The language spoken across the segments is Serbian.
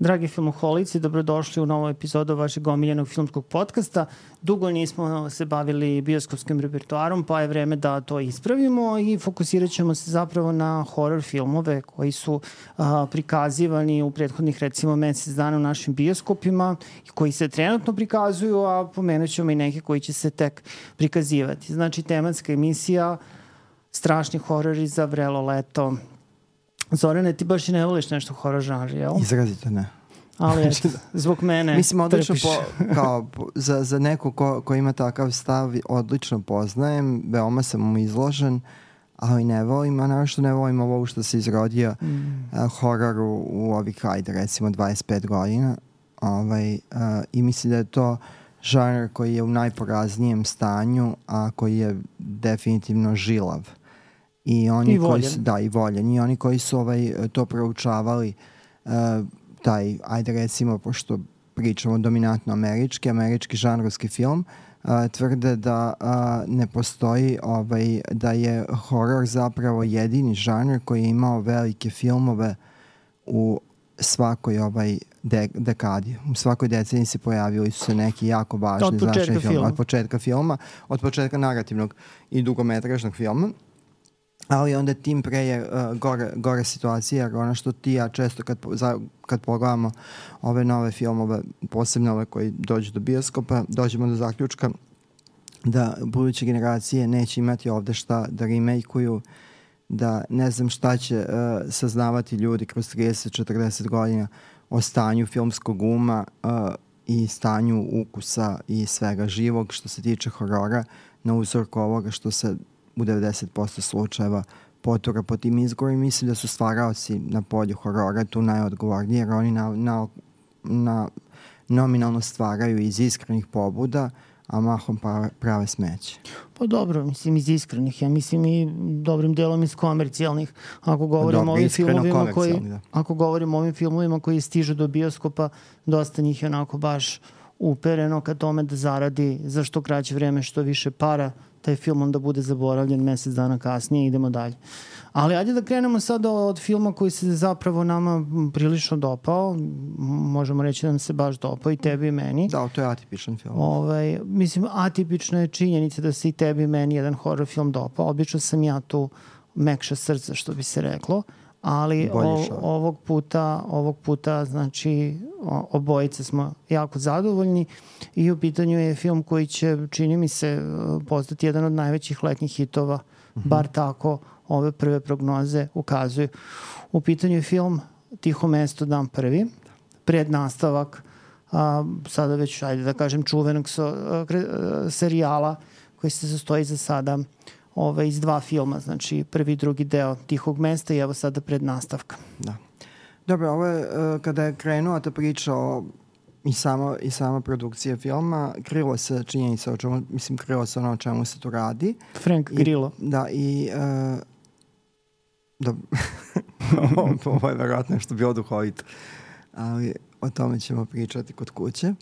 Dragi filmoholici, dobrodošli u novu epizodu vašeg omiljenog filmskog podcasta. Dugo nismo se bavili bioskopskim repertoarom, pa je vreme da to ispravimo i fokusirat ćemo se zapravo na horror filmove koji su prikazivani u prethodnih recimo mesec dana u našim bioskopima i koji se trenutno prikazuju, a pomenut ćemo i neke koji će se tek prikazivati. Znači, tematska emisija strašni horori za vrelo leto. Zorane, ti baš i ne voliš nešto horor žanr, jel? Izrazito ne. Ali eto, zbog mene mislim, odlično trpiš. za neko ko ima takav stav, odlično poznajem, veoma sam mu izložen, ali ne volim, a naravno ne volim ovo što se izrodio horor u ovih, ajde, recimo 25 godina. I mislim da je to žanr koji je u najporaznijem stanju, a koji je definitivno žilav. I voljen. I oni koji su to proučavali, ajde recimo, pošto pričamo dominantno američki žanrovski film, tvrde da ne postoji, da je horor zapravo jedini žanr koji je imao velike filmove u svakoj dekadi. U svakoj deceniji se pojavili su se neki jako važni značajni film. Od početka narativnog i dugometražnog filma. Ali onda tim pre je gore situacija, jer ono što ti ja često kad pogledamo ove nove filmove, posebno ove koji dođu do bioskopa, dođemo do zaključka da buduće generacije neće imati ovde šta da remake-uju, da ne znam šta će saznavati ljudi kroz 30-40 godina o stanju filmskog uma i stanju ukusa i svega živog što se tiče horora, na uzorku ovoga što se u 90% slučajeva potura po tim izgovorima. Mislim da su stvaraoci na polju horora tu najodgovorniji, jer oni nominalno stvaraju iz iskrenih pobuda, a mahom prave smeće. Pa dobro, mislim iz iskrenih, ja mislim i dobrim delom iz komercijalnih. Ako govorimo o ovim filmovima koji stižu do bioskopa, dosta njih je onako baš upereno ka tome da zaradi za što kraće vreme što više para, taj film onda bude zaboravljen mesec dana kasnije i idemo dalje. Ali ajde da krenemo sada od filma koji se zapravo nama prilično dopao. Možemo reći da nam se baš dopao i tebi i meni. Da, to je atipičan film. Mislim, atipična je činjenica da se i tebi i meni jedan horror film dopao. Obično sam ja tu mekša srca, što bi se reklo. Ali ovog puta znači obojice smo jako zadovoljni i u pitanju je film koji će, čini mi se, postati jedan od najvećih letnjih hitova, bar tako ove prve prognoze ukazuju. U pitanju je film Tiho mesto, dan prvi, prednastavak sada već, ajde da kažem, čuvenog serijala koji se sastoji za sada iz dva filma, znači prvi i drugi deo Tihog mesta i evo sada prednastavka. Da. Dobro, ovo je kada je krenula ta priča i sama produkcija filma, krilo se činjenica krilo se ono o čemu se tu radi. Frank Grillo. Da, i ovo je verovatno nešto bilo duhovito, ali o tome ćemo pričati kod kuće.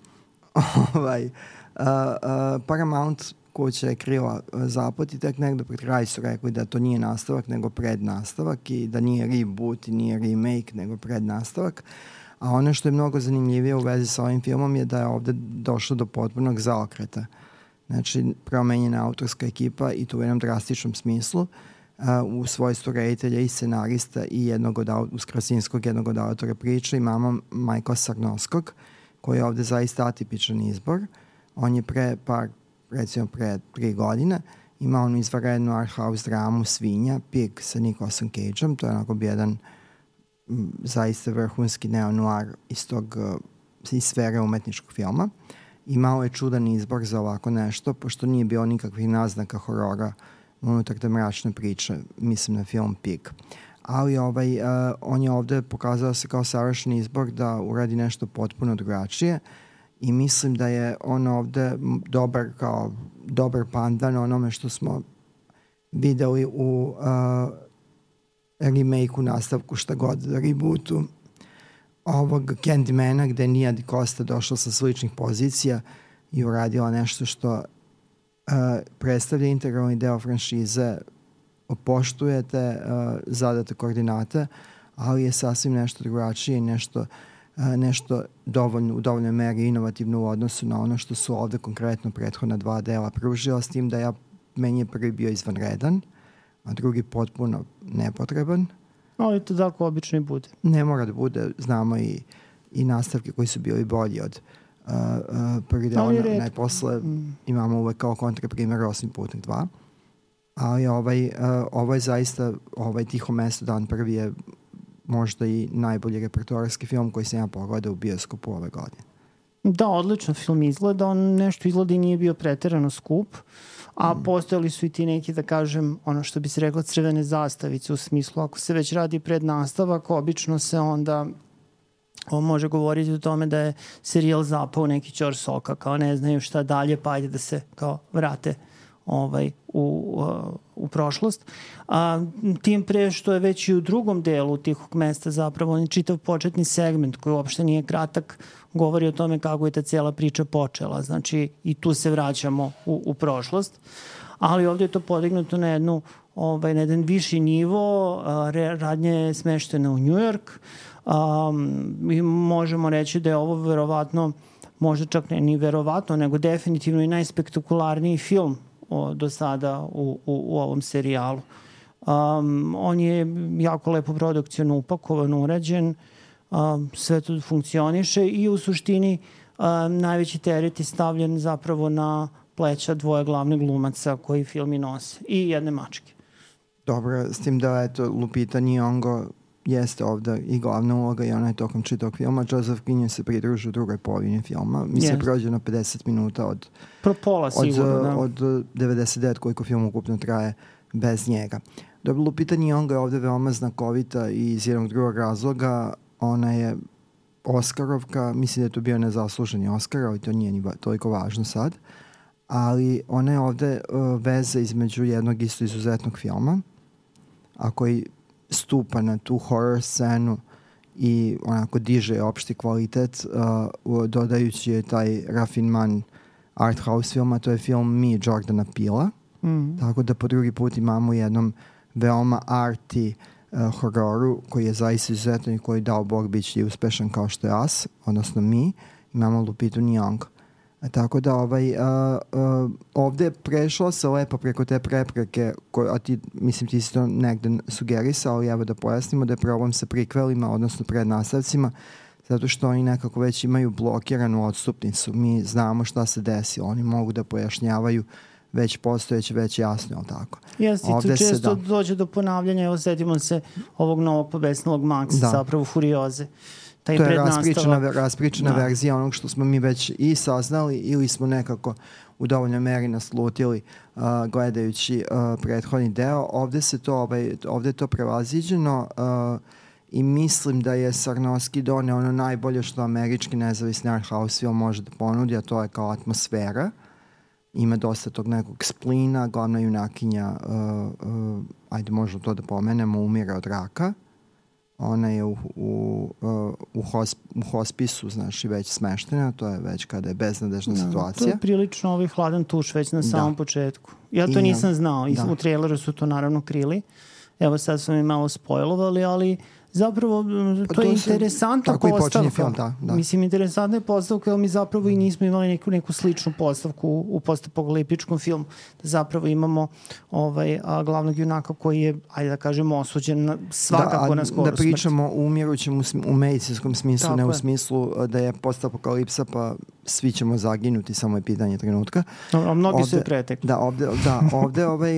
Paramount kuća je krila zapad i tek negdje pred kraj su rekli da to nije nastavak nego prednastavak i da nije reboot i nije remake nego prednastavak. A ono što je mnogo zanimljivije u vezi sa ovim filmom je da je ovdje došlo do potpunog zaokreta. Znači, promenjena autorska ekipa i to u jednom drastičnom smislu u svojstvu reditelja i scenarista i uz Krasinskog jednog od autora priče imamo Michaela Sarnowskog koji je ovdje zaista atipičan izbor. On je pre 3 godine imao onu izvanrednu art house dramu Svinja, Pig sa Nicolasom Cageom, to je onako bi jedan zaista vrhunski neo-noir iz sfere umetničkog filma. Imao je čudan izbor za ovako nešto, pošto nije bilo nikakvih naznaka horora unutar te mračne priče, mislim na film Pig. Ali on je ovdje pokazao se kao savršen izbor da uradi nešto potpuno drugačije i mislim da je on ovdje dobar pandan onome što smo videli u remake-u, nastavku, šta god, rebootu ovog Candymana, gde je Nia DaCosta došla sa sličnih pozicija i uradila nešto što predstavlja integralni deo franšize, poštujete zadate koordinate, ali je sasvim nešto drugačije i nešto nešto u dovoljnoj meri inovativno u odnosu na ono što su ovde konkretno prethodna 2 dela pružila, s tim da meni je prvi bio izvanredan, a drugi potpuno nepotreban. Ali to tako obično i bude. Ne mora da bude, znamo i nastavke koji su bili bolji od prvi deo, najposle imamo uvek kao kontraprimer Osmi putnik 2. Ali ovo je zaista, Tiho mesto dan prvi je možda i najbolji repertoarski film koji sam ja pogledao u bioskopu ove godine. Da, odlično film izgleda, on nešto izgleda i nije bio preterano skup, a postojali su i ti neki, da kažem, ono što bi se rekla crvene zastavice, u smislu ako se već radi prednastavak, obično se onda može govoriti o tome da je serijal zapao neki ćor soka, kao ne znaju šta dalje, pa ajde da se kao vrate u prošlost. Tim pre što je već i u drugom delu Tihog mesta zapravo on je čitav početni segment koji uopšte nije kratak, govori o tome kako je ta cijela priča počela. Znači i tu se vraćamo u prošlost. Ali ovdje je to podignuto na jedan viši nivo, radnja je smeštena u New York. Mi možemo reći da je ovo verovatno, možda čak ne ni verovatno, nego definitivno i najspektakularniji film do sada u ovom serijalu. On je jako lepo produkcijno upakovan, urađen, sve to funkcioniše i u suštini najveći teret je stavljen zapravo na pleća 2 glavnih glumaca koji film i nose i jedne mačke. Dobro, s tim da Lupita Nyong'o jeste ovde i glavna uloga i ona je tokom čitog filma. Joseph Quinn se pridruži u drugoj polovini filma. Mislim, prođe na 50 minuta od 99 koliko film ukupno traje bez njega. Dobro, Lupita Nyong'o je ovde veoma znakovita i iz jednog drugog razloga. Ona je Oskarovka, mislim da je to bio nezasluženi Oskar, ali to nije ni toliko važno sad. Ali ona je ovde veza između jednog isto izuzetnog filma, a koji stupa na tu horror scenu i onako diže opšti kvalitet, dodajući je taj rafinman art house filma, to je film Mi Jordana Peela. Tako da po drugi put imamo jednom veoma arty hororu koji je zaista izuzetan i koji dao Bog bit će uspešan kao što je Us, odnosno Mi. Imamo Lupitu Nyong'o. Tako da ovde prešlo se lepo preko te prepreke, a ti si to negde sugerisao, ali evo da pojasnimo da je problem sa prikvelima, odnosno prednastavcima, zato što oni nekako već imaju blokiranu odstupnicu. Mi znamo šta se desi, oni mogu da pojašnjavaju već postojeće, već jasno, je li tako? Jeste, i tu često dođe do ponavljanja, evo setimo se ovog novog pobesnilog Maxa, zapravo Furioze. To je raspričana verzija onog što smo mi već i saznali ili smo nekako u dovoljnoj meri naslutili gledajući prethodni deo. Ovde je to prevaziđeno i mislim da je Sarnoski doneo ono najbolje što američki nezavisni art house film može da ponudi, a to je kao atmosfera. Ima dosta tog nekog splina, glavna junakinja, ajde možemo to da pomenemo, umire od raka. Ona je u hospisu, znaš, i već smeštena, to je već kada je beznadežna situacija. To je prilično hladan tuš već na samom početku. Ja to nisam znao, u traileru su to naravno krili. Evo sad smo mi malo spojlovali, ali zapravo to je interesantna postavka. Film, da. Mislim, interesantna je postavka, jer mi zapravo i nismo imali neku sličnu postavku u postapokaliptičkom filmu. Da zapravo imamo glavnog junaka koji je, ajde da kažemo, osuđen svakako na skoru smrt. Da pričamo u umirućem u medicinskom smislu, ne u smislu da je postapokalipsa pa svi ćemo zaginuti, samo je pitanje trenutka. A mnogi su je pretekli.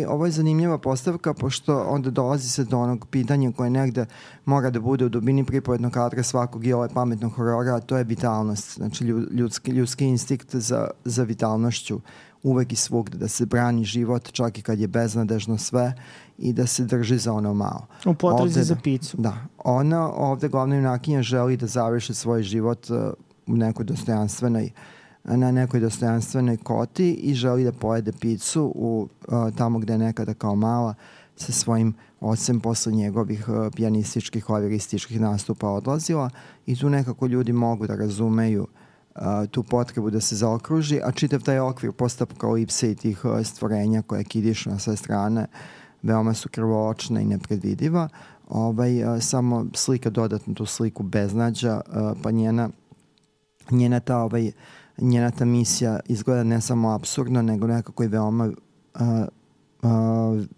Ovo je zanimljiva postavka, pošto onda dolazi se do onog pitanja koje negde mora da bude u dubini pripovednog kadra svakog i pametnog horora, a to je vitalnost. Znači ljudski instinkt za vitalnošću uvek i svugde, da se brani život čak i kad je beznadežno sve i da se drži za ono malo. U potrazi za picu. Da. Ona ovde, glavna junakinja, želi da završi svoj život na nekoj dostojanstvenoj koti i želi da pojede picu tamo gde je nekada kao mala sa svojim ocem posle njegovih pijanističkih, klavirističkih nastupa odlazila i tu nekako ljudi mogu da razumeju tu potrebu da se zaokruži, a čitav taj okvir postapokalipse i tih stvorenja koje kidišu na sve strane veoma su krvoočna i nepredvidiva. Samo slika dodatno tu sliku beznađa, pa njena ta misija izgleda ne samo apsurdno, nego nekako i veoma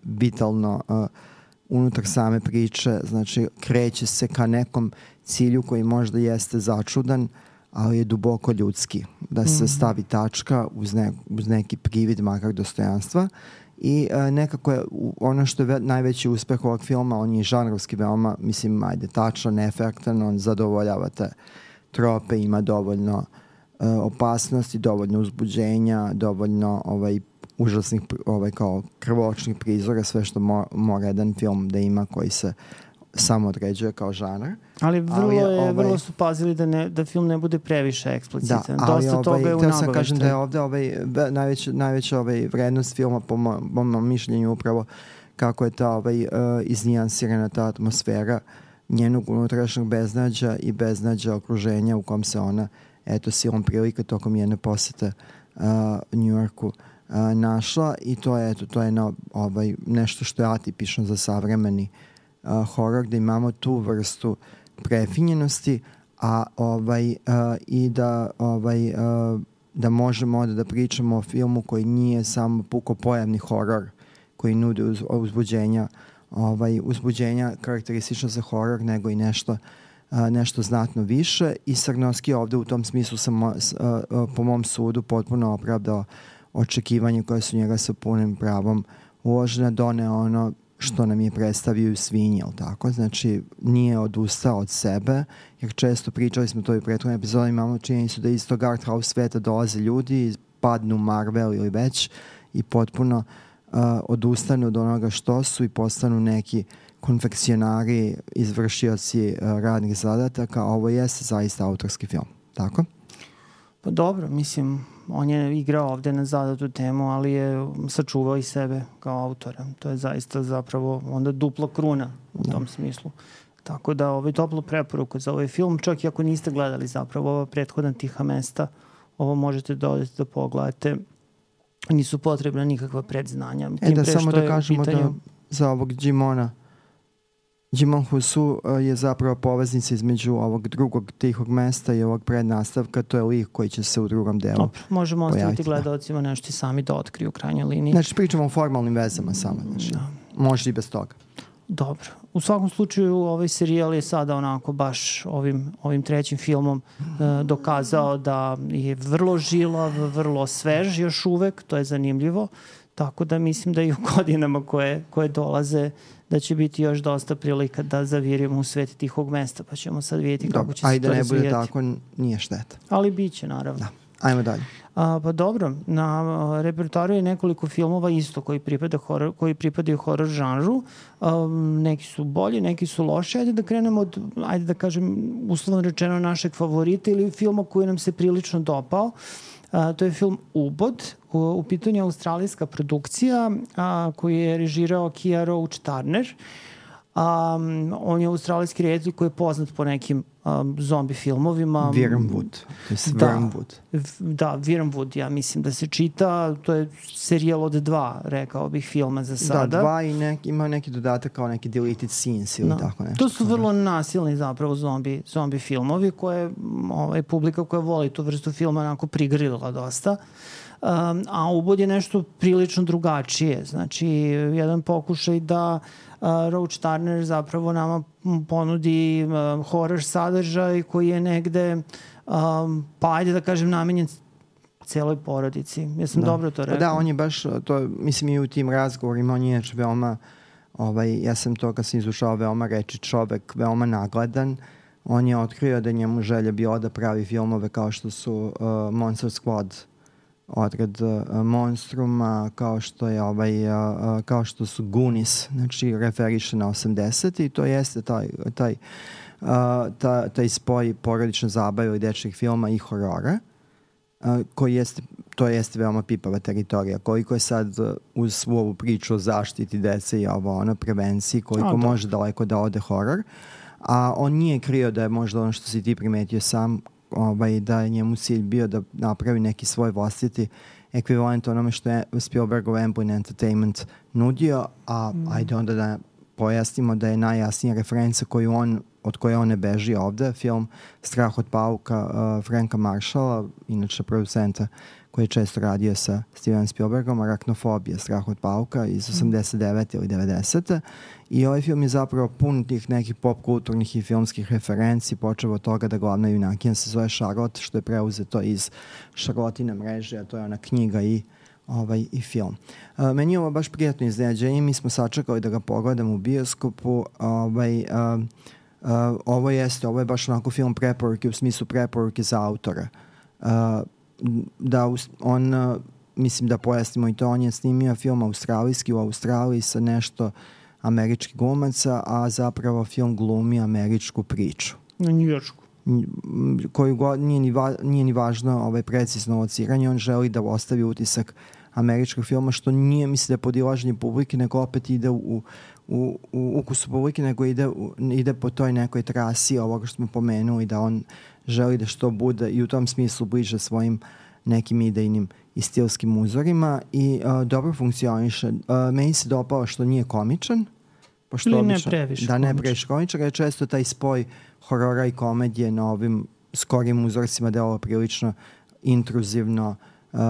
vitalno unutar same priče. Znači, kreće se ka nekom cilju koji možda jeste začudan, ali je duboko ljudski. Da se stavi tačka uz neki privid makar dostojanstva. I nekako je ono što je najveći uspeh ovog filma, on je žanrovski veoma, mislim, tačan, efektan, on zadovoljava te trope, ima dovoljno opasnosti, dovoljno uzbuđenja, dovoljno užasnih kao krvočnih prizora, sve što mora jedan film da ima koji se samo određuje kao žanr. Ali vrlo su pazili da film ne bude previše eksplicitan. Dosta toga je u nagoveštaju. Sam kažem da je ovde najveća vrednost filma po mom mišljenju upravo kako je ta iznijansirana ta atmosfera njenog unutrašnjeg beznađa i beznađa okruženja u kom se ona silom prilika tokom jedne posete Njujorku našla i to je nešto što je atipično za savremeni horor, da imamo tu vrstu prefinjenosti, i da možemo onda da pričamo o filmu koji nije samo puko pojavni horor koji nudi uzbuđenja karakteristično za horor, nego i nešto znatno više. I Sarnowski ovde u tom smislu po mom sudu potpuno opravdao očekivanje koje su njega sa punim pravom uložene, doneo ono što nam je predstavio u Svinji, jel tako? Znači, nije odustao od sebe, jer često pričali smo to i u prethodnoj epizodi, imamo činjenicu da iz tog art house sveta dolaze ljudi, padnu Marvel ili već i potpuno odustanu od onoga što su i postanu neki konfekcionari, izvršioci radnih zadataka. Ovo jeste zaista autorski film, tako? Pa dobro, mislim, on je igrao ovde na zadatu temu, ali je sačuvao i sebe kao autora. To je zaista zapravo onda dupla kruna u tom smislu. Tako da toplu preporuku za ovaj film, čak i ako niste gledali zapravo ova prethodna Tiha mesta, ovo možete da odete da pogledate. Nisu potrebna nikakva predznanja. Da samo da kažemo da za ovog Djimon Hounsou je zapravo poveznica između ovog drugog Tihog mesta i ovog prednastavka. To je lik koji će se u drugom delu Dobro, možemo ostaviti gledalcima nešto i sami da otkriju u krajnjoj liniji. Znači, pričamo o formalnim vezama samo. Znači, može i bez toga. Dobro. U svakom slučaju ovaj serijal je sada onako baš ovim trećim filmom dokazao da je vrlo žilav, vrlo svež još uvek, to je zanimljivo. Tako da mislim da i u godinama koje dolaze da će biti još dosta prilika da zavirimo u svet Tihog mesta, pa ćemo sad vidjeti kako će se to razvijeti. Ajde, ne bude tako, nije šteta. Ali bit će, naravno. Da. Ajmo dalje. Pa dobro, na repertoaru je nekoliko filmova isto koji pripadaju horor žanru. Neki su bolji, neki su loši. Ajde da krenemo od, ajde da kažem, uslovno rečeno našeg favorita ili filma koji nam se prilično dopao. To je film Ubod. U pitanju je australijska produkcija koju je režirao Kia Roach-Turner. On je australijski reditelj koji je poznat po nekim zombi filmovima. Wormwood. Da, Wormwood, ja mislim da se čita. To je serijal od 2, rekao bih, filma za sada. Da, 2 i ima neki dodatak kao neki deleted scenes ili tako nešto. To su vrlo nasilni zapravo zombi filmovi koje publika koja voli tu vrstu filma onako prigrlila dosta. A Ubod je nešto prilično drugačije. Znači, jedan pokušaj da Roach-Turner zapravo nama ponudi horror sadržaj koji je negde, pa ajde da kažem, namenjen celoj porodici. Jesam dobro to rekao? Da, on je baš, to mislim i u tim razgovorima, on je veoma, ja sam to kad sam izušao, veoma reči čovek, veoma nagledan. On je otkrio da njemu želja bila da pravi filmove kao što su Monster Squad, odred Monstruma, kao što su Goonies, znači referiše na 80. i to jeste taj spoj porodične zabave ili dečjih filma i horora, to jeste veoma pipava teritorija. Koliko je sad uz svu ovu priču o zaštiti dece i prevenciji, koliko može daleko da ode horor, a on nije krio da je možda ono što si ti primetio sam, da je njemu cilj bio da napravi neki svoj vlastiti ekvivalent onome što je Spielbergov Amblin Entertainment nudio, a ajde onda da pojasnimo da je najjasnija referenca od koje on ne beži ovde, film Strah od pauka Franka Marshalla, inače producenta koji je često radio sa Steven Spielbergom, Arachnofobija, Strah od pauka iz 89. ili 90. I ovaj film je zapravo pun tih nekih pop kulturnih i filmskih referenci, počeo od toga da glavna junakinja se zove Charlotte, što je preuzeto iz Charlottine mreže, a to je ona knjiga i film. Meni je ovo baš prijatno iznenađenje, mi smo sačekali da ga pogledamo u bioskopu. Ovo je baš onako film preporuke, u smislu preporuke za autora. Mislim da pojasnimo i to, on je snimio film australijski u Australiji sa nešto američkih glumaca, a zapravo film glumi američku priču. Na njujoršku. Koju nije ni važno precizno lociranje, on želi da ostavi utisak američkog filma, što nije, mislim da je podilaženje publike, nego opet ide u ukusu publike, nego ide po toj nekoj trasi ovoga što smo pomenuli, da on želi da što bude i u tom smislu bliže svojim nekim idejnim i stilskim uzorima i dobro funkcioniše. Meni se dopalo što nije komičan, ili ne previše komičan. Da, ne previše komičan, je često taj spoj horora i komedije na ovim skorijim uzorcima delo prilično intruzivno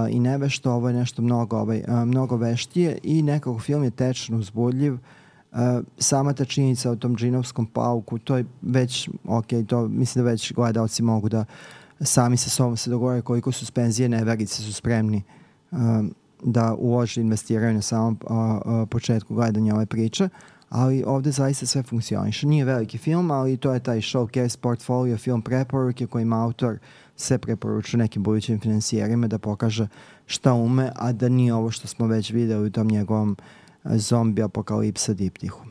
i nevešto. Ovo je nešto mnogo veštije i nekako film je tečno uzbudljiv. Sama ta činjenica o tom džinovskom pauku, to je već to mislim da već gledalci mogu da sami sa sobom se dogovore koliko suspenzije neverice su spremni da ulože, investiraju na samom početku gledanja ove priče, ali ovde zaista sve funkcioniše. Nije veliki film, ali to je taj showcase portfolio, film preporuke kojim autor se preporučuje nekim budućim finansijerima da pokaže šta ume, a da nije ovo što smo već videli u tom njegovom zombi apokalipsa diptihu.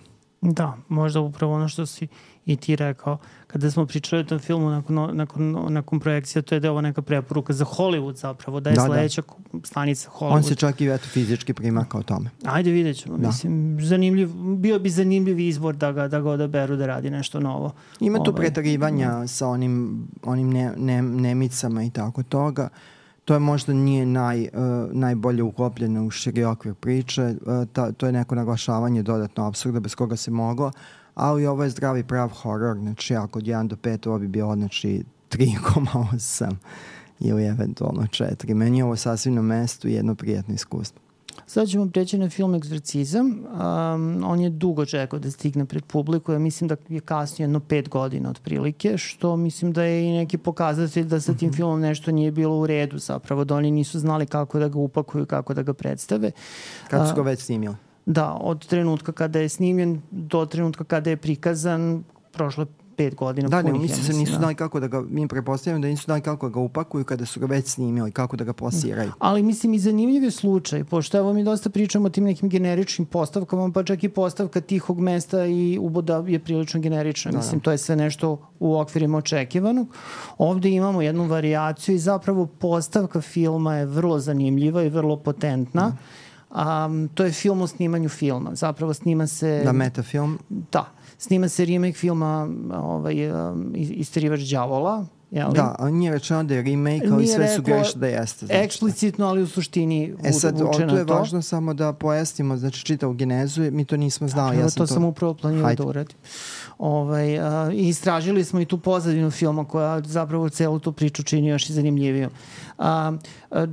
Da, možda upravo ono što si i ti rekao. Kada smo pričali o tom filmu nakon projekcija, to je da je ovo neka preporuka za Hollywood zapravo, da je sledeća stanica Hollywood. On se čak i fizički primaka o tome. Ajde, vidjet ćemo. Mislim, bio bi zanimljiv izbor da ga odaberu da radi nešto novo. Ima tu pretarivanja sa onim nemicama i tako toga. To je možda nije najbolje uklopljeno u širi okvir priče. To je neko naglašavanje dodatno apsurda bez koga se moglo, ali ovo je zdravi prav horor, znači ako od 1 do 5 ovo bi bilo znači 3,8 ili eventualno 4. Meni je ovo sasvim na mestu i jedno prijatno iskustvo. Sad ćemo preći na film Egzorcizam. On je dugo čekao da stigne pred publiku. Ja mislim da je kasnije 5 godina otprilike, što mislim da je i neki pokazatelj da sa tim filmom nešto nije bilo u redu zapravo, da oni nisu znali kako da ga upakuju, kako da ga predstave. Kad su ga već snimili? Da, od trenutka kada je snimljen do trenutka kada je prikazan, prošlo 5 godina. Da, ne, mislim se nisu znali kako da ga, mi prepostavljamo da nisu znali kako da ga upakuju kada su ga već snimili, kako da ga plasiraju. Ali mislim i zanimljiv je slučaj, pošto evo mi dosta pričamo o tim nekim generičnim postavkama, pa čak i postavka Tihog mesta i Uboda je prilično generična. Mislim, to je sve nešto u okvirima očekivanog. Ovde imamo jednu varijaciju i zapravo postavka filma je vrlo zanimljiva i vrlo potentna. To je film o snimanju filma. Zapravo snima se... Da, metafilm? Da. Snima se remake filma Isterivač đavola. Da, ali nije rečeno da je remake, ali sve su greš da jeste. Znači, eksplicitno, ali u suštini vuče na to. Tu je važno samo da pojasnimo, znači čitavu genezu, mi to nismo znali. To sam upravo planirao da uradim. I istražili smo i tu pozadinu filma koja zapravo celu tu priču čini još i zanimljivijom.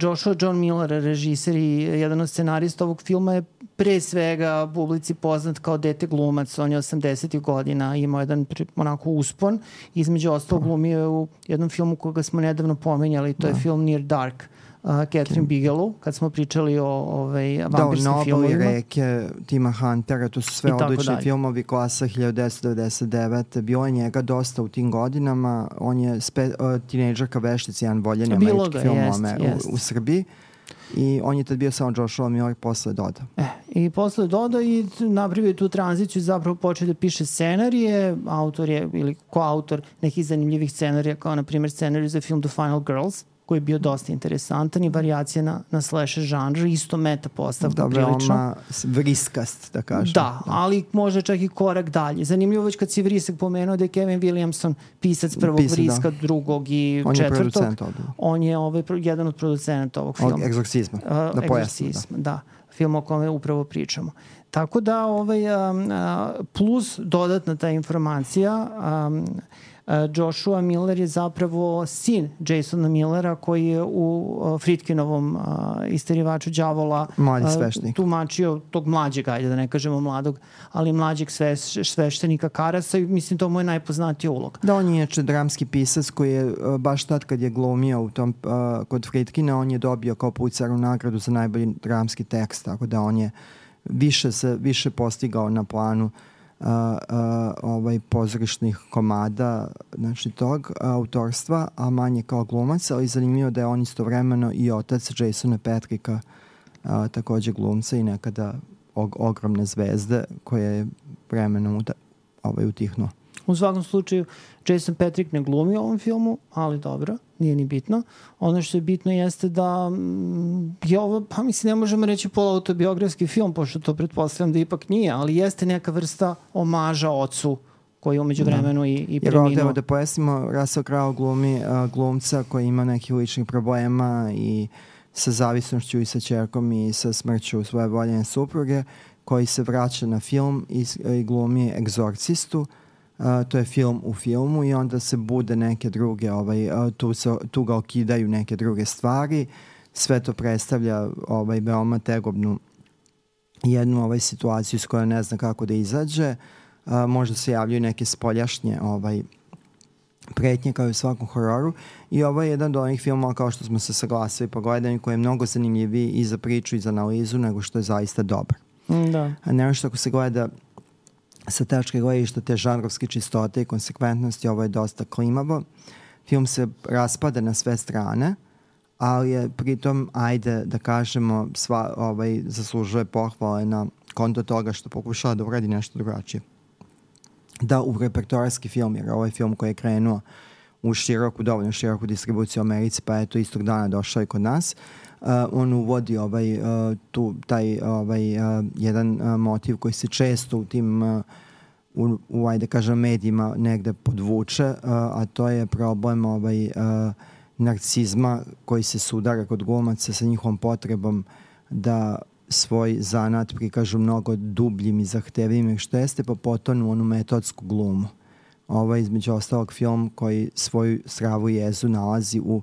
Joshua John Miller, režiser i jedan od scenarista ovog filma, je pre svega publici poznat kao dete glumac. On je 80. godina imao jedan onako uspon. Između ostalog glumio u jednom filmu koga smo nedavno pomenjali, to je film Near Dark, Catherine Bigelow, kad smo pričali o vampirskim filmovima. Da, Nobel i Reke, Tima Huntera, to su sve odlični filmovi, klasa 1999. Bilo je njega dosta u tim godinama. On je tinejdžerka veštica, jedan voljeni američki film u Srbiji. I on je tad bio samo Joshua Miller, posle dodao. I posle dodao i napravio tu tranziciju, zapravo počeo da piše scenarije, autor je ili koautor nekih zanimljivih scenarija, kao na primjer scenarij za film The Final Girls, koji je bio dosta interesantan i varijacija na slasher žanr, isto meta postavka prilično. Veoma vriskast, da kažem. Da, ali možda čak i korak dalje. Zanimljivo već kad si vrisak pomenuo da je Kevin Williamson pisac prvog vriska, drugog i četvrtog. On je jedan od producenata ovog filma. Egzorcizma. Da pojasnim. Da. Film o kome upravo pričamo. Tako da plus dodatna ta informacija, Joshua Miller je zapravo sin Jasona Millera koji je u Fritkinovom Isterivaču đavola tumačio tog mlađeg, ajde da ne kažemo mladog, ali mlađeg sveštenika Karasa i mislim to mu je najpoznatiji ulog. Da, on je dramski pisac koji je baš tad kad je glumio u tom, kod Fritkina, on je dobio kao Pulitzerovu nagradu za najbolji dramski tekst, tako da on je više postigao na planu pozorišnih komada, znači tog autorstva, a manje kao glumac, ali zanimljivo da je on istovremeno i otac Jasona Patricka, takođe glumca i nekada ogromne zvezde koje je vremenom utihnuo. U svakom slučaju, Jason Patric ne glumi u ovom filmu, ali dobro, nije ni bitno. Ono što je bitno jeste da je ovo, pa mislim, ne možemo reći poluautobiografski film, pošto to pretpostavljam da ipak nije, ali jeste neka vrsta omaža ocu koji je umeđu vremenu i preminuo. Jer ovdje da pojasnimo, Russell Crowe glumi glumca koji ima nekih ličnih problema i sa zavisnošću i sa ćerkom i sa smrću svoje voljene supruge, koji se vraća na film i glumi egzorcistu. To je film u filmu i onda se bude neke druge, tu ga okidaju neke druge stvari. Sve to predstavlja veoma tegobnu jednu situaciju s kojom ne zna kako da izađe. Možda se javljaju neke spoljašnje pretnje kao i u svakom hororu. I ovo je jedan od onih filmova, kao što smo se saglasili po gledanju, koji je mnogo zanimljiviji i za priču i za analizu nego što je zaista dobar. Da. Nešto ako se gleda sa tačke gledišta te žanrovske čistote i konsekventnosti, ovo je dosta klimavo. Film se raspada na sve strane, ali je pritom, ajde da kažemo, zaslužuje pohvale na konto toga što pokušava da uradi nešto drugačije. Da, u repertoarski film, jer ovo je film koji je krenuo u dovoljno široku distribuciju u Americi, pa je to istog dana došao i kod nas. On uvodi jedan motiv koji se često u tim ajde kažem medijima negde podvuče, a to je problem narcizma koji se sudara kod glumaca sa njihovom potrebom da svoj zanat prikažu mnogo dubljim i zahtevljivim nego što jeste, pa potonu onu metodsku glumu. Ovo je između ostalog film koji svoju stravu jezu nalazi u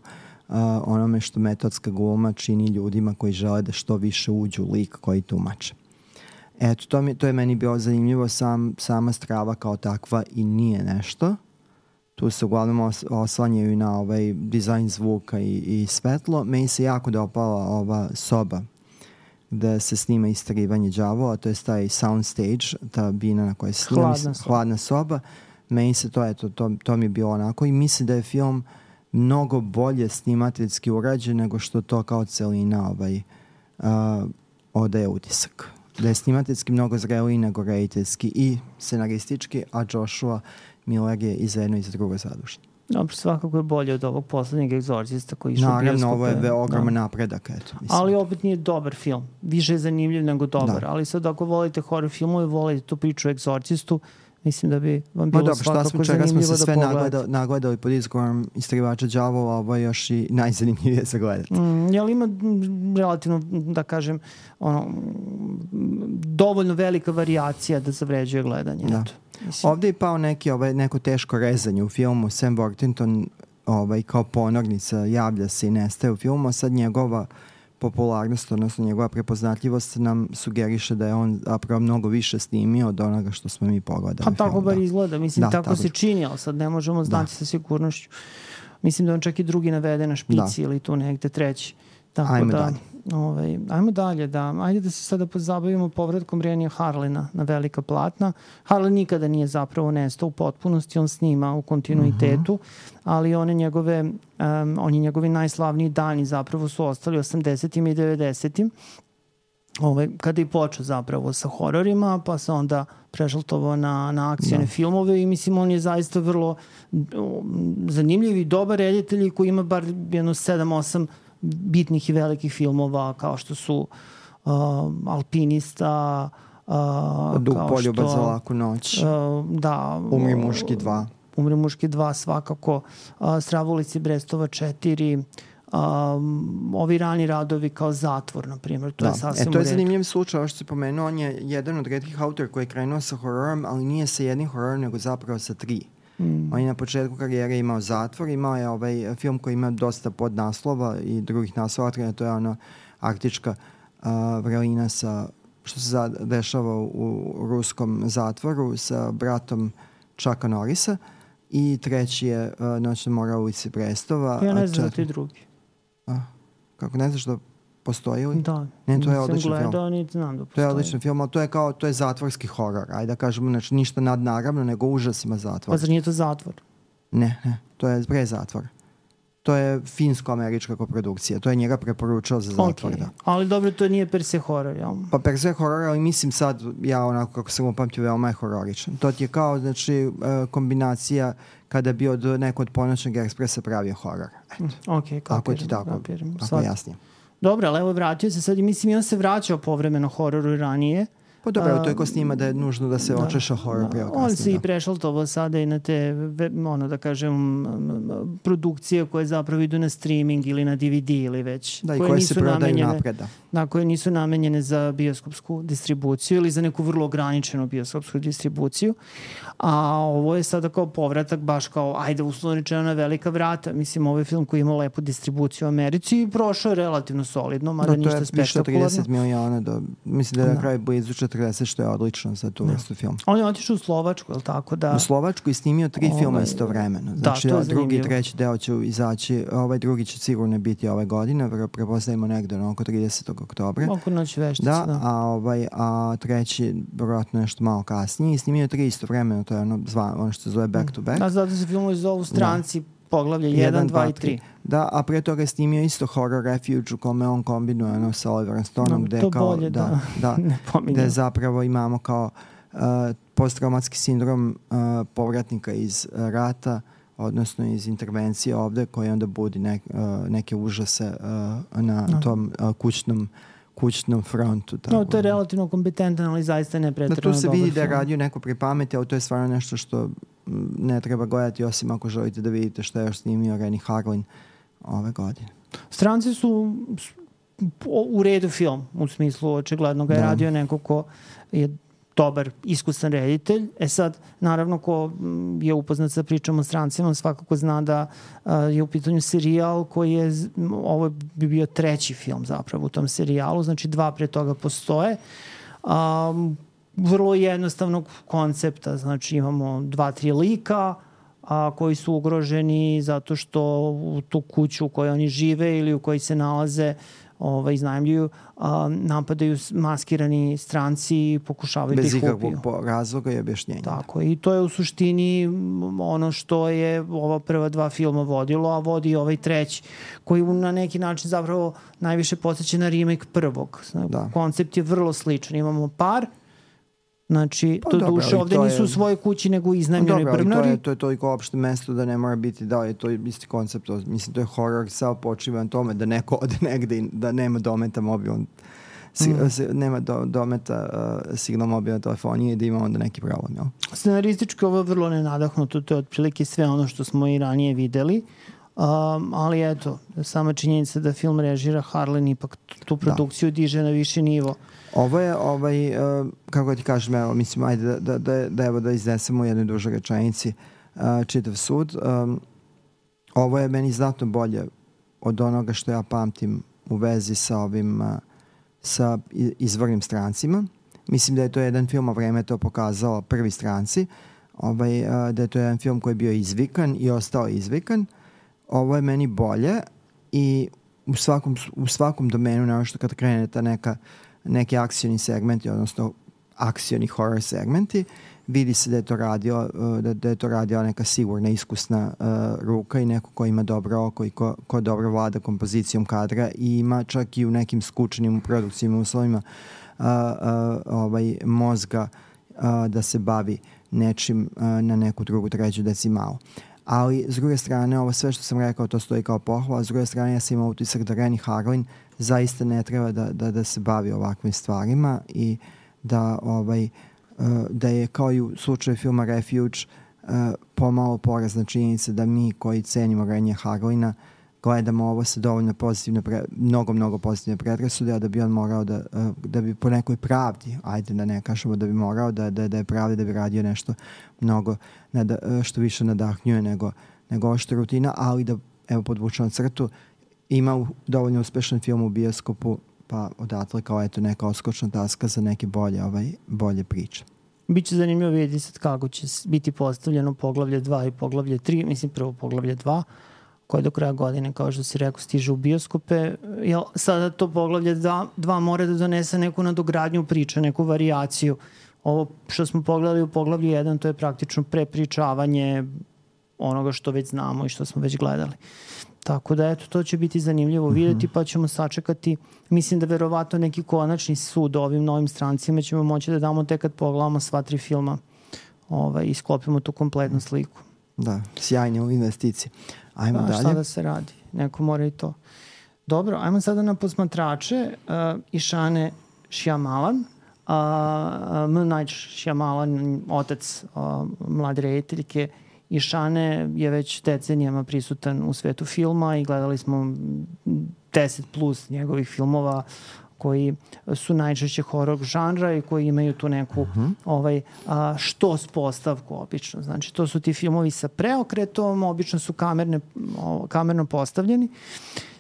onome što metodska gluma čini ljudima koji žele da što više uđu u lik koji tumače. Eto, to je meni bilo zanimljivo, sama strava kao takva i nije nešto. Tu se uglavnom oslanjaju na dizajn zvuka i svetlo. Meni se jako dopala ova soba gde se snima isterivanje đavola, to je taj soundstage, ta bina na kojoj se snima, hladna soba. Meni se to mi je bilo onako i mislim da je film mnogo bolje snimateljski urađen nego što to kao celina odaje utisak. Da je snimateljski mnogo zreliji nego rediteljski i scenaristički, a Joshua Miller je i za jedno i za drugo zadužen. Dobro, svakako je bolje od ovog poslednjeg egzorcista koji išao bioskope. Naravno, ovo je ogroman napredak. Ali opet nije dobar film. Više je zanimljiv nego dobar. Ali sad ako volite horror filmove, volite tu priču o egzorcistu, mislim da bi vam bilo svakako zanimljivo da pogledate. Čega smo se sve nagledali pod izgovorom Isterivača đavola, ovo je još i najzanimljivije za gledati. Jel ima relativno, da kažem, dovoljno velika varijacija da zavređuje gledanje? Da. Ovdje je pao neko teško rezanje u filmu. Sam Worthington kao ponornica javlja se i nestaje u filmu, a sad njegova popularnost, odnosno njegova prepoznatljivost nam sugeriše da je on zapravo mnogo više snimio od onoga što smo mi pogledali. Pa tako bar izgleda, mislim, tako se čini, ali sad ne možemo znati sa sigurnošću. Mislim da on čak i drugi navede na špici ili tu negde treći. Ajmo dalje. Ajmo dalje, da. Ajde da se sada pozabavimo povratkom Renija Harlina na velika platna. Harlin nikada nije zapravo nestao u potpunosti, on snima u kontinuitetu, ali oni njegovi najslavniji dani zapravo su ostali 80. i 90. kada je počeo zapravo sa hororima, pa se onda prešaltovao na akcijne filmove i mislim on je zaista vrlo zanimljiv i dobar reditelj koji ima bar jedno 7-8 bitnih i velikih filmova kao što su Alpinista, Poljubac za laku noć, Umri muški 2. Umri muški 2 svakako, Stravoljci Brestova 4, ovi rani radovi kao Zatvor, na primjer, to je sasvim u redu. To je zanimljiv slučaj, ovo što si pomenuo, on je jedan od retkih autora koji je krenuo sa hororom, ali nije sa jednim hororom, nego zapravo sa 3. On je na početku karijere imao Zatvor, imao je ovaj film koji ima dosta podnaslova i drugih naslova, to je ono Arktička vrelina sa, što se dešava u ruskom zatvoru sa bratom Chucka Norrisa, i treći je Noćna mora u ulici Brestova. Ja ne znam da ti drugi. Kako ne znaš da postoji li? Da, ne, to je odličan gledao, film. Znam da postoji. To je odličan film, ali to je zatvorski horor. Ajde da kažemo, znači ništa nadnaravno, nego užasima zatvor. Pa zar nije to Zatvor? Ne, to je pre Zatvor. To je finsko-američka koprodukcija. To je njega preporučao za Zatvor. Okay. Ali dobro, to nije per se horor, jel? Pa per se horor, ali mislim sad, ja onako kako sam upamtio, veoma je hororičan. To ti je kao, znači, kombinacija kada bi neko od Ponoćnog ekspresa pravio horor. Ok, ako ti tako jasnije. Dobro, ali evo vratio se sad i mislim i on se vraćao povremeno hororu i ranije. Pa dobro, to je ko snima da je nužno da se očeša horor prije kasnije. On se i prešaltovao sada i na te, da kažem, produkcije koje zapravo idu na streaming ili na DVD ili već. Da, i koje se prodaju napred. Da, koje nisu namenjene za bioskopsku distribuciju ili za neku vrlo ograničenu bioskopsku distribuciju. A ovo je sada kao povratak, baš kao, ajde, uslovno rečeno na velika vrata. Mislim, ovo je film koji ima lepu distribuciju u Americi i prošao je relativno solidno, mada ništa spektakularno. To je više 30 miliona, mislim da je na kraju blizu 40, što je odlično za tu vrstu film. On je otišao u Slovačku, je li tako? U Slovačku i snimio 3 filma istovremeno. Znači, drugi i treći deo će izaći, ovaj drugi će sigurno biti ove godine, prepostavimo negde oko 30. oktobra. Oko Noć veštice, da. A treći, vjerojatno nešto malo kasnije, i snimio 3 istovremeno, to je ono što se zove Back to Back. A zato se filmovi zovu Stranci, poglavlje 1, 2 i 3. Da, a pre toga je snimio isto Horror Refuge u kome on kombinuje sa Oliverom Stoneom, gde zapravo imamo kao posttraumatski sindrom povratnika iz rata, odnosno iz intervencije ovde, koji onda budi neke užase na tom kućnom frontu. No, to je relativno kompetentan, ali zaista ne pretjerano dobar film. Tu se vidi da je radio neko pri pameti, ali to je stvarno nešto što ne treba gledati, osim ako želite da vidite što je još snimio Renny Harlin ove godine. Stranci su u redu film, u smislu očigledno ga je radio neko ko je dobar, iskusan reditelj. Sad, naravno, ko je upoznat sa pričom o Strancima, svakako zna da je u pitanju serijal koji je, ovo bi bio 3. film zapravo u tom serijalu, znači 2 pre toga postoje. Vrlo jednostavnog koncepta, znači imamo 2-3 lika koji su ugroženi zato što u tu kuću u kojoj oni žive ili u kojoj se nalaze iznajmljuju, napadaju maskirani stranci i pokušavaju da ih ubiju. Bez ikakvog razloga i objašnjenja. Tako, i to je u suštini ono što je ova prva 2 filma vodilo, a vodi i ovaj 3. koji na neki način zapravo najviše podsjeća na remake prvog. Koncept je vrlo sličan. Imamo par, znači, to duše ovde nisu u svojoj kući, nego iznajmljeni brvnari. To je toliko opšte mesto da ne mora biti, da je to isti koncept. Mislim, to je horor, sao počiva na tome da neko ode negde i da nema dometa mobilnog, nema dometa signal mobilne telefonije i da ima onda neki problem. Jel? Scenaristički ovo je vrlo nenadahnuto, to je otprilike sve ono što smo i ranije videli. Ali eto, sama činjenica da film režira Harlin ipak tu produkciju diže na viši nivo. Ovo je, kako ti kažem, evo, mislim, ajde da iznesemo u jednoj dužoj rečenici čitav sud. Ovo je meni znatno bolje od onoga što ja pamtim u vezi sa izvornim Strancima. Mislim da je to jedan film, a vreme to pokazalo, Prvi stranci, da je to jedan film koji je bio izvikan i ostao izvikan. Ovo je meni bolje i u svakom domenu, naravno što kad krene ta neki akcioni segmenti, odnosno akcioni horror segmenti. Vidi se da je to radila neka sigurna, iskusna ruka i neko ko ima dobro oko i ko dobro vlada kompozicijom kadra i ima čak i u nekim skučenim produkcijnim uslovima mozga da se bavi nečim na neku drugu, treću decimalu. Ali, s druge strane, ovo sve što sam rekao, to stoji kao pohvala. S druge strane, ja sam imao utisak da Renny Harlin zaista ne treba da se bavi ovakvim stvarima i da je kao i u slučaju filma Refuge pomalo porazna činjenica da mi koji cenimo Rennya Harlina gledamo ovo sa dovoljno pozitivne, mnogo pozitivne predrasude, a da bi on morao da bi po nekoj pravdi, ajde da ne kažemo da bi morao da je pravdi da bi radio nešto mnogo što više nadahnjuje nego što rutina, ali da, evo podvučemo crtu, ima dovoljno uspešan film u bioskopu, pa odatle kao eto neka odskočna taska za neke bolje priče. Biće zanimljivo vidjeti sad kako će biti postavljeno poglavlje 2 i poglavlje 3, mislim prvo poglavlje 2, koje do kraja godine, kao što si rekao, stiže u bioskope. Sada to poglavlje 2 mora da donese neku nadogradnju priče, neku varijaciju. Ovo što smo pogledali u poglavlju 1, to je praktično prepričavanje onoga što već znamo i što smo već gledali. Tako da, eto, to će biti zanimljivo vidjeti, pa ćemo sačekati. Mislim da verovatno neki konačni sud ovim novim strancima ćemo moći da damo tek kad pogledamo sva 3 filma i sklopimo tu kompletnu sliku. Da, sjajne u investiciji. Ajmo dalje. Šta da se radi? Neko mora i to. Dobro, ajmo sada na posmatrače. Išane Shyamalan. M. Night Shyamalan, otac mlade rediteljke Išane, je već decenijama prisutan u svetu filma i gledali smo 10 plus njegovih filmova koji su najčešće horor žanra i koji imaju tu neku štos postavku obično. Znači, to su ti filmovi sa preokretom, obično su kamerno postavljeni.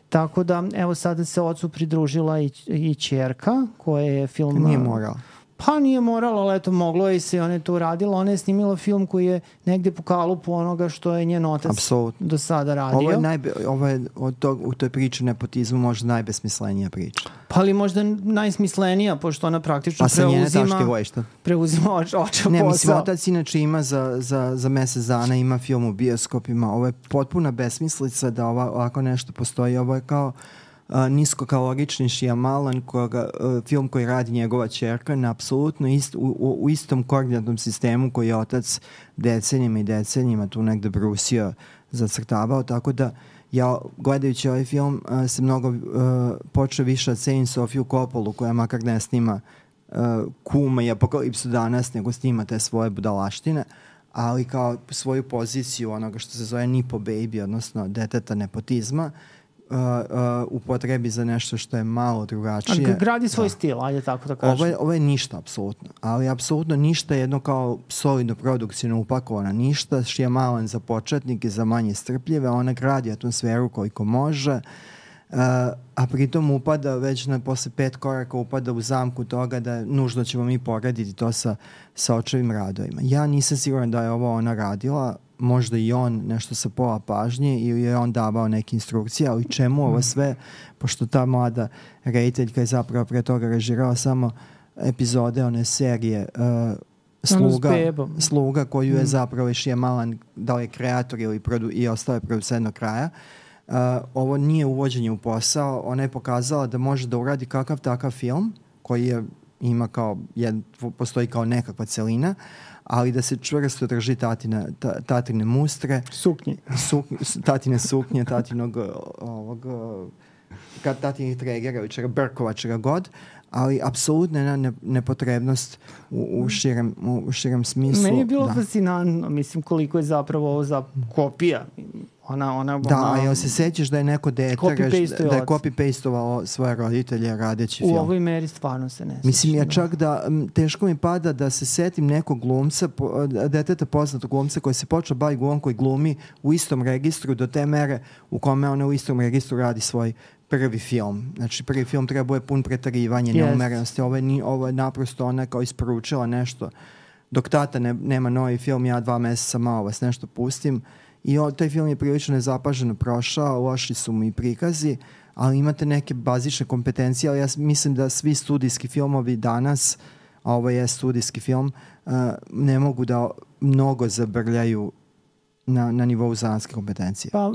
Tako da, evo sada se ocu pridružila i ćerka koja je film... Nije morala. Pa nije morala, ali eto, moglo je se i ona je to uradila. Ona je snimila film koji je negde po kalupu onoga što je njen otac do sada radio. Ovo je u toj priči nepotizmu možda najbesmislenija priča. Pa ali možda najsmislenija, pošto ona praktično preuzima oča posao. Ne, mislim, otac inače ima za mesec dana, ima film u bioskopima. Ovo je potpuna besmislica da ovako nešto postoji. Ovo je kao niskokalorični Shyamalan, film koji radi njegova ćerka, na apsolutno u istom koordinatnom sistemu koji je otac decenijima tu negde brusio, zacrtavao, tako da ja gledajući ovaj film se mnogo počeo više da cenim Sofiju Coppolu, koja makar ne snima Kuma i Apokalipsu danas, nego snima te svoje budalaštine, ali kao svoju poziciju onoga što se zove Nipo Baby, odnosno deteta nepotizma, upotrebi za nešto što je malo drugačije. A gradi svoj stil, ajde tako da kažem. Ovo je ništa, apsolutno. Ali apsolutno ništa jedno kao solidno produkcijno upakovana. Ništa, Shyamalan za početnike, za manje strpljive. Ona gradi atmosferu koliko može, a pritom upada već posle 5 koraka upada u zamku toga da nužno ćemo mi porediti to sa očevim radovima. Ja nisam siguran da je ovo ona radila, možda i on nešto sa pola pažnje ili je on davao neke instrukcije, ali čemu ovo sve, pošto ta mlada rediteljka je zapravo pre toga režirala samo epizode one serije Sluga, koju je zapravo Shyamalan da li je kreator i ostao je producent do kraja. Ovo nije uvođenje u posao, ona je pokazala da može da uradi kakav takav film koji ima kao postoji kao nekakva celina, ali da se čvrsto drži tatine mustre, tatine suknje, tatinih tregera ili čega, brkova, čega god, ali apsolutno jedna nepotrebnost u širem smislu. Meni je bilo fascinantno, mislim, koliko je zapravo ovo za kopija. Da, jel se sećaš da je neko dete da je copy-pastovao svoje roditelje radeći film? U ovoj meri stvarno se ne sećam. Mislim, ja čak da teško mi pada da se setim nekog glumca, deteta poznatog glumca koji se počeo baviti glumom, koji glumi u istom registru do te mere u kome ona u istom registru radi svoj prvi film. Znači, prvi film treba je pun pretarivanja, neumerenosti. Ovo je naprosto ona kao isporučila nešto. Dok tata nema novi film, ja 2 meseca malo vas nešto pustim. I taj film je prilično nezapaženo prošao, loši su mu i prikazi, ali imate neke bazične kompetencije, ali ja mislim da svi studijski filmovi danas a ovo je studijski film, ne mogu da mnogo zabrljaju na nivou zanatske kompetencije. Pa,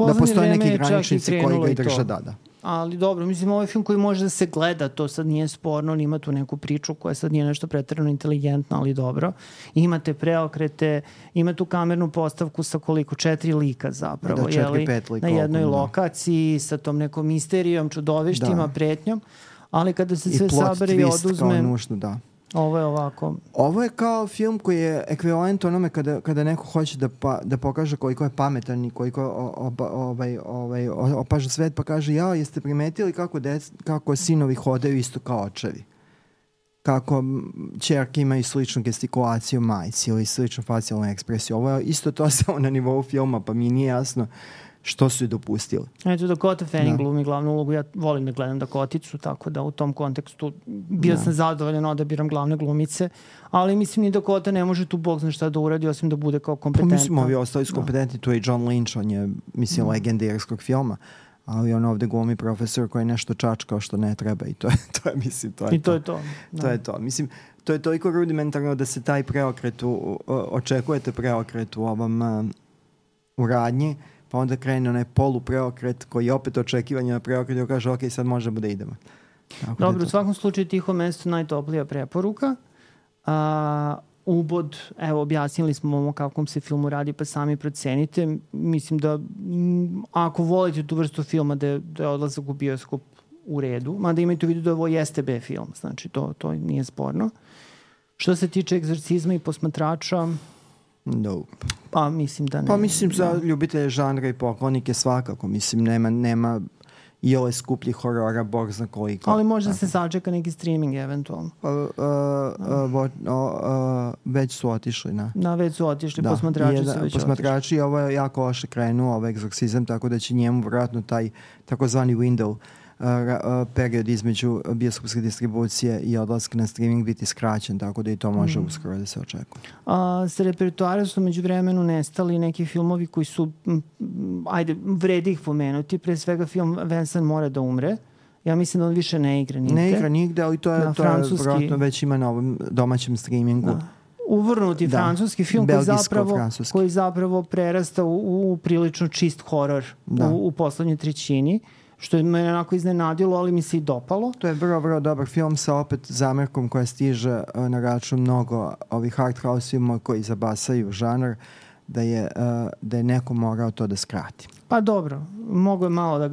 da postoje neki graničnici koji ga i drže, da. Ali dobro, mislim, ovo je film koji može da se gleda, to sad nije sporno, on ima tu neku priču koja sad nije nešto preterano inteligentno, ali dobro. Imate preokrete, ima tu kamernu postavku sa koliko? 4 lika zapravo, da, 4-5 lika na jednoj lokaciji sa tom nekom misterijom, čudovištima, pretnjom, ali kada se sve sabere i oduzme... I plot twist kao nužno, da. Ovo je ovako. Ovo je kao film koji je ekvivalent onome kada neko hoće da pokaže koliko je pametan i koliko opaža svet, pa kaže, jeste primetili kako sinovi hodaju isto kao očevi? Kako ćerke imaju sličnu gestikulaciju majci ili sličnu facijalnu ekspresiju. Ovo je isto to samo na nivou filma, pa mi nije jasno što su i dopustili. Eto, Dakota Fanning glumi glavnu ulogu. Ja volim da gledam Dakoticu, tako da u tom kontekstu bio sam zadovoljan odabiram glavne glumice, ali mislim ni Dakota ne može tu bog zna šta da uradi, osim da bude kao kompetentna. Pa mislim, ovi ostali su kompetentni, tu je John Lynch, on je, mislim, legenda irskog filma, ali on ovde glumi profesor koji nešto čačkao što ne treba i to je mislim, to je to. To je to. Mislim, to je toliko rudimentarno da se taj preokret, očekujete preokret u ovom u radnji, pa onda krene onaj polupreokret koji je opet očekivanje na preokret i kaže ok, sad možemo da idemo. Dobro, u svakom slučaju Tiho mesto najtoplija preporuka. Ubod, evo, objasnili smo o kakvom se filmu radi, pa sami procenite. Mislim da ako volite tu vrstu filma da je odlazak u bioskop u redu, mada imajte u vidu da ovo jeste B film, znači to nije sporno. Što se tiče Egzorcizma i Posmatrača, nope. Pa mislim da ne. Pa mislim za ljubitelje žanra i poklonike svakako. Mislim nema i ove skuplji horora, bog zna koliko. Ali možda se sačeka neki streaming eventualno. Već su otišli. Već su otišli, Posmatrači su već otišli. Posmatrači, ovo je jako loše krenuo, ovaj Egzorcizam, tako da će njemu vjerojatno taj takozvani window period između bioskopske distribucije i odlaska na streaming biti skraćen, tako da i to može uskoro da se očekuje. Sa repertoara su među vremenu nestali neki filmovi koji su, vredi ih pomenuti, pre svega film Vincent mora da umre. Ja mislim da on više ne igra nigde. Ne igra nigde, ali to je vjerojatno već ima na ovom domaćem streamingu. Uvrnuti francuski film koji zapravo prerasta u prilično čist horor u poslednjoj trećini, što je me onako iznenadilo, ali mi se i dopalo. To je vrlo, vrlo dobar film sa opet zamerkom koja stiže na račun mnogo ovih art house filmova koji zabasaju žanr, da je neko morao to da skrati. Pa dobro, mogo je malo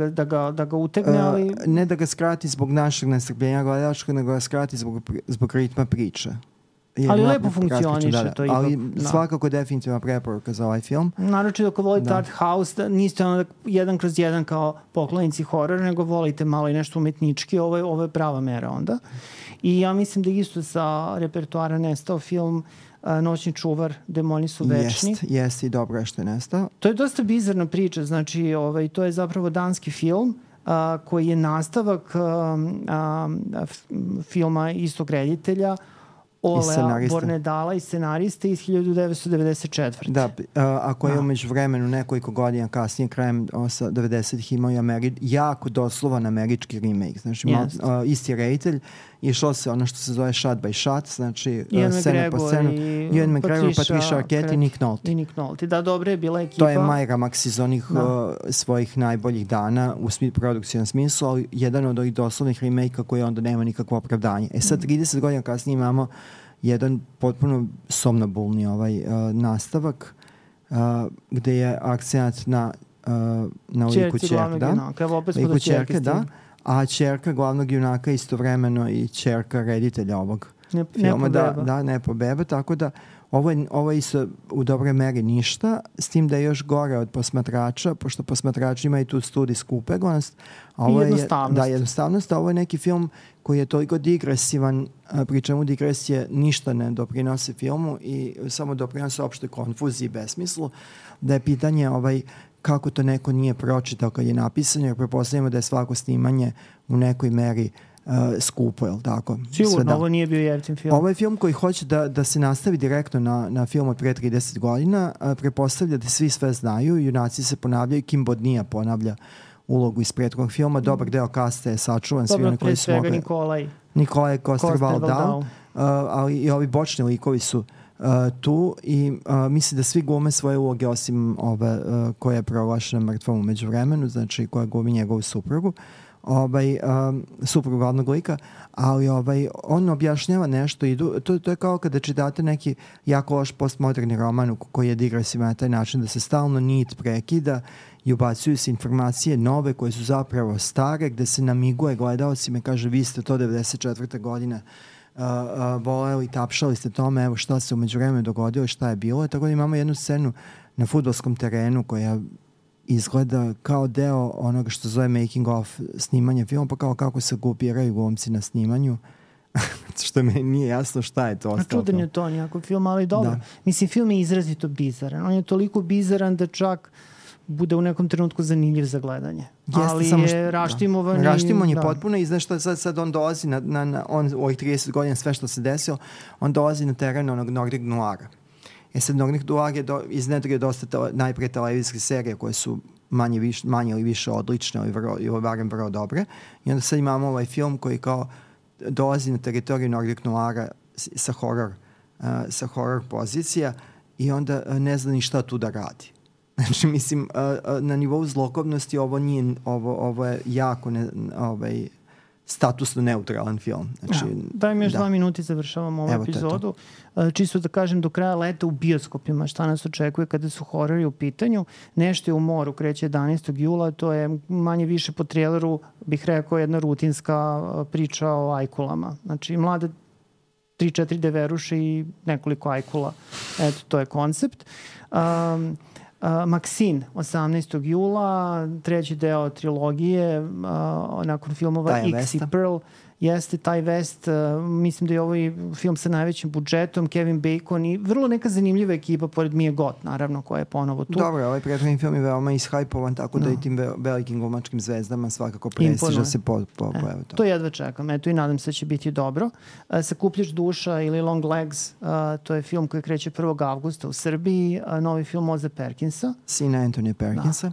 da ga utegne, ali... Ne da ga skrati zbog našeg nestrpljenja gledačka, nego ga skrati zbog ritma priče. Ali lepo funkcioniše to ipak. Ali svakako definitivna preporuka za ovaj film. Naročito ako volite art house, niste onda 1/1 kao poklonici horora, nego volite malo i nešto umetnički, ovo je prava mera onda. I ja mislim da isto sa repertoara nestao film Noćni čuvar, Demoni su večni. Jest i dobro je što je nestao. To je dosta bizarna priča, znači to je zapravo danski film koji je nastavak filma istog reditelja Olea Bornedala i scenariste iz 1994. Da, ako je umeđu vremenu nekoliko godina kasnije, krajem 90-ih imao i jako doslovan američki remake. Znači, isti reditelj, išlo se ono što se zove shot by shot, znači scena po scenu. Ian McGregor, Patricia Arquette i Nick Nolte. I Nick Nolte. Da, dobra je bila ekipa. To je Majra Max iz onih svojih najboljih dana u produkcijnom smislu, ali jedan od ovih doslovnih remake-a koji onda nema nikakvo opravdanje. Sad, 30 godina kasnije imamo jedan potpuno somnobulni nastavak gde je akcent na liku ćerke, a ćerka glavnog junaka istovremeno i ćerka reditelja ovog filma. Nepo beba, tako da ovo je isto u dobroj meri ništa, s tim da je još gore od Posmatrača, pošto Posmatrači imaju tu studijsku upeglanost. Jednostavnost. A ovo je neki film koji je toliko digresivan, pri čemu digresije ništa ne doprinose filmu i samo doprinose opšte konfuziji i besmislu, da je pitanje kako to neko nije pročitao kad je napisano, jer prepostavljamo da je svako snimanje u nekoj meri skupo, je li tako? Sigurno, ovo nije bio jeftin film. Ovo je film koji hoće da se nastavi direktno na film od pre 30 godina. Prepostavlja da svi sve znaju, junaci se ponavljaju, Kim Bodnia ponavlja ulogu iz prethodnog filma, dobar deo kasta je sačuvan. Dobro, pre svega Nikolaj Coster-Waldau. ali i ovi bočni likovi su tu i mislim da svi glume svoje uloge osim ove koja je proglašena mrtvom u međuvremenu, znači koja glumi njegovu suprugu, suprugu glavnog lika, ali on objašnjava nešto i to je kao kada čitate neki jako loš postmoderni roman koji je digresivan na taj način da se stalno nit prekida i ubacuju se informacije nove koje su zapravo stare, gde se namiguje gledaocima, kaže vi ste to 94. godine voleli, tapšali ste tome, evo šta se umeđu vremenu dogodilo, šta je bilo. Tako da imamo jednu scenu na fudbalskom terenu koja izgleda kao deo onoga što zove making of snimanja filma, pa kao kako se grupiraju glumci na snimanju. Što mi nije jasno šta je to ostalo. Čudan je to nekako film, ali dobro. Da. Mislim, film je izrazito bizaran. On je toliko bizaran da čak bude u nekom trenutku zanimljiv za gledanje. Jeste, ali je raštimovan. Raštimovan je potpuno i znaš što sad on dolazi on u ovih 30 godina sve što se desilo, on dolazi na teren onog Nordic Noira. Sad Nordic Noir je iznedrio dosta najpre televizijske serije koje su manje ili više odlične ili barem vrlo dobre. I onda sad imamo ovaj film koji kao dolazi na teritoriju Nordic Noira sa horror pozicija i onda ne zna ni šta tu da radi. Znači, mislim, na nivou zlokobnosti ovo je jako statusno neutralan film. Znači, daj mi još 2 minuta i završavamo ovu epizodu. Čisto da kažem, do kraja leta u bioskopima šta nas očekuje kada su horori u pitanju. Nešto je u moru, kreće 11. jula, to je manje više po traileru, bih rekao, jedna rutinska priča o ajkulama. Znači, mlade 3-4 deveruše i nekoliko ajkula. Eto, to je koncept. Maksin, 18. jula, treći deo trilogije, nakon filmova X i Pearl. Jeste taj West, mislim da je ovaj film sa najvećim budžetom, Kevin Bacon i vrlo neka zanimljiva ekipa pored Mije Gott, naravno, koja je ponovo tu. Dobro, ovaj prethodni film je veoma ishajpovan, tako da i tim velikim glumačkim zvezdama svakako prestiža se pojave to. To jedva čekam, eto i nadam se da će biti dobro. Sakupljač duša ili Long Legs, to je film koji kreće 1. avgusta u Srbiji, novi film Oza Perkinsa. Sina Anthony Perkinsa.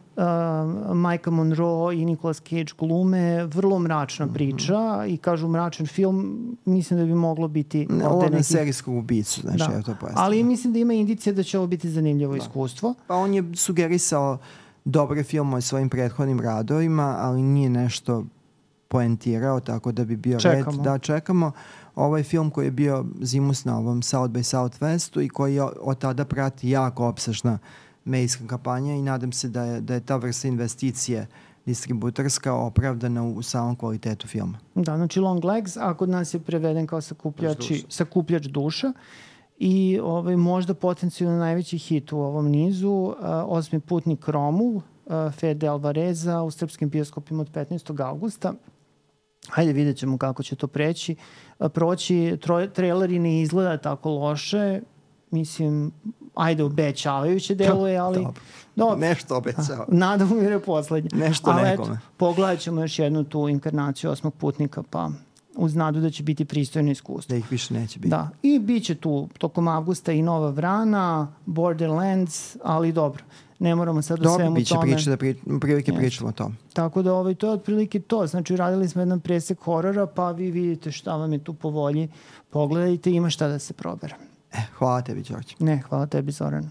Majka Monroe i Nicolas Cage glume, vrlo mračna priča i kažu mračan film, mislim da bi moglo biti ovo na serijskog ubicu, znači ja to pojasnim. Ali mislim da ima indicija da će ovo biti zanimljivo iskustvo. Pa on je sugerisao dobre filmove svojim prethodnim radovima, ali nije nešto poentirao, tako da bi bio red da čekamo. Ovaj film koji je bio zimus na ovom South by Southwestu i koji od tada prati jako opsežna medijska kampanja i nadam se da je ta vrsta investicije distributorska opravdana u samom kvalitetu filma. Da, znači Long Legs, a kod nas je preveden kao sakupljač duša i možda potencijalno najveći hit u ovom nizu, Osmi putnik Romul, Fede Alvareza u srpskim bioskopima od 15. augusta. Hajde, vidjet ćemo kako će to proći. Traileri ne izgleda tako loše, mislim, ajde, obećavajuće deluje, ali... Dobro. Nešto obećava. Nada umire poslednje. Nešto nekome. Pogledat ćemo još jednu tu inkarnaciju Osmog putnika, pa uz nadu da će biti pristojno iskustvo. Da ih više neće biti. Da. I bit će tu tokom avgusta i Nova Vrana, Borderlands, ali dobro. Ne moramo sad u svemu tome. Dobro, biće prilike pričamo o tome. Tako da to je otprilike to. Znači, radili smo jedan presek horora, pa vi vidite šta vam je tu po volji. Pogledajte, ima šta da se probere. Hvala tebi, Đorđe. Hvala tebi, Zoran.